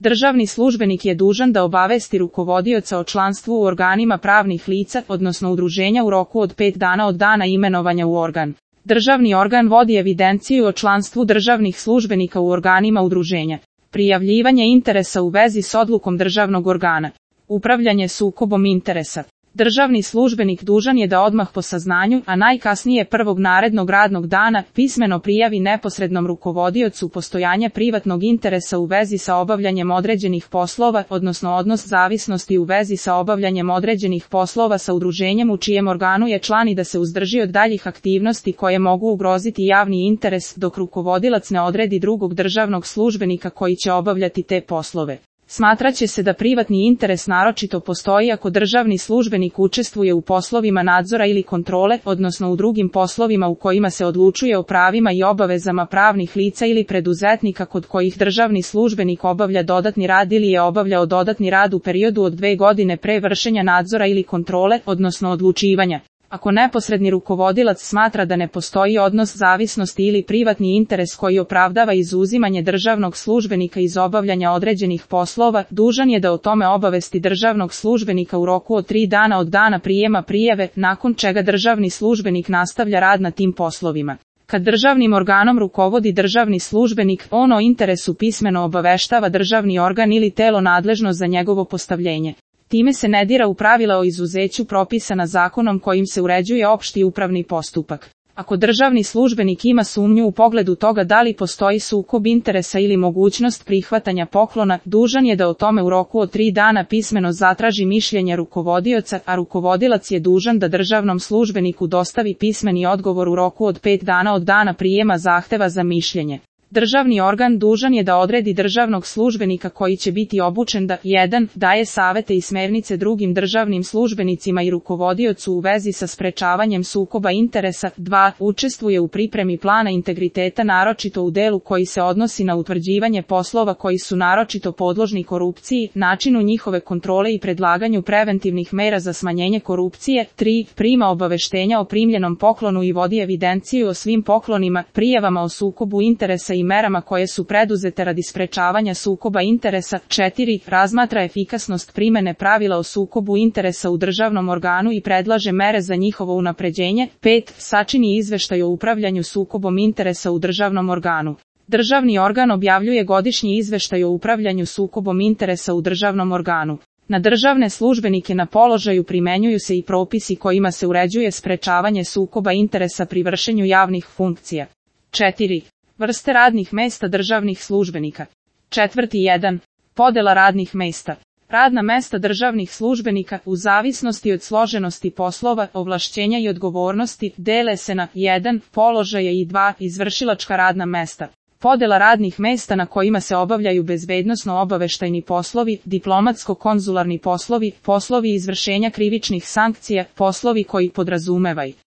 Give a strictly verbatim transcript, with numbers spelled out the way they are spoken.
Državni službenik je dužan da obavesti rukovodioca o članstvu u organima pravnih lica, odnosno udruženja u roku od pet dana od dana imenovanja u organ. Državni organ vodi evidenciju o članstvu državnih službenika u organima udruženja. Prijavljivanje interesa u vezi s odlukom državnog organa. Upravljanje sukobom interesa. Državni službenik dužan je da odmah po saznanju, a najkasnije prvog narednog radnog dana, pismeno prijavi neposrednom rukovodiocu postojanje privatnog interesa u vezi sa obavljanjem određenih poslova, odnosno odnos zavisnosti u vezi sa obavljanjem određenih poslova sa udruženjem u čijem organu je član i da se uzdrži od daljih aktivnosti koje mogu ugroziti javni interes, dok rukovodilac ne odredi drugog državnog službenika koji će obavljati te poslove. Smatraće se da privatni interes naročito postoji ako državni službenik učestvuje u poslovima nadzora ili kontrole, odnosno u drugim poslovima u kojima se odlučuje o pravima i obavezama pravnih lica ili preduzetnika kod kojih državni službenik obavlja dodatni rad ili je obavljao dodatni rad u periodu od dve godine pre vršenja nadzora ili kontrole, odnosno odlučivanja. Ako neposredni rukovodilac smatra da ne postoji odnos zavisnosti ili privatni interes koji opravdava izuzimanje državnog službenika iz obavljanja određenih poslova, dužan je da o tome obavesti državnog službenika u roku od tri dana od dana prijema prijave, nakon čega državni službenik nastavlja rad na tim poslovima. Kad državnim organom rukovodi državni službenik, on o interesu pismeno obaveštava državni organ ili telo nadležno za njegovo postavljenje. Time se ne dira u pravila o izuzeću propisana zakonom kojim se uređuje opšti upravni postupak. Ako državni službenik ima sumnju u pogledu toga da li postoji sukob interesa ili mogućnost prihvatanja poklona, dužan je da o tome u roku od tri dana pismeno zatraži mišljenje rukovodioca, a rukovodilac je dužan da državnom službeniku dostavi pismeni odgovor u roku od pet dana od dana prijema zahteva za mišljenje. Državni organ dužan je da odredi državnog službenika koji će biti obučen da jedan daje savete i smernice drugim državnim službenicima i rukovodiocu u vezi sa sprečavanjem sukoba interesa, dva učestvuje u pripremi plana integriteta naročito u delu koji se odnosi na utvrđivanje poslova koji su naročito podložni korupciji, načinu njihove kontrole i predlaganju preventivnih mera za smanjenje korupcije, tri prima obaveštenja o primljenom poklonu i vodi evidenciju o svim poklonima, prijavama o sukobu interesa i merama koje su preduzete radi sprečavanja sukoba interesa, četiri razmatra efikasnost primene pravila o sukobu interesa u državnom organu i predlaže mere za njihovo unapređenje, pet sačini izveštaj o upravljanju sukobom interesa u državnom organu. Državni organ objavljuje godišnji izveštaj o upravljanju sukobom interesa u državnom organu. Na državne službenike na položaju primenjuju se i propisi kojima se uređuje sprečavanje sukoba interesa pri vršenju javnih funkcija. četiri Vrste radnih mesta državnih službenika. Četvrti jedan Podela radnih mesta. Radna mesta državnih službenika, u zavisnosti od složenosti poslova, ovlašćenja i odgovornosti, dele se na jedan Položaje i dva Izvršilačka radna mesta. Podela radnih mesta na kojima se obavljaju bezbednosno-obaveštajni poslovi, diplomatsko-konzularni poslovi, poslovi izvršenja krivičnih sankcija, poslovi koji podrazumevaju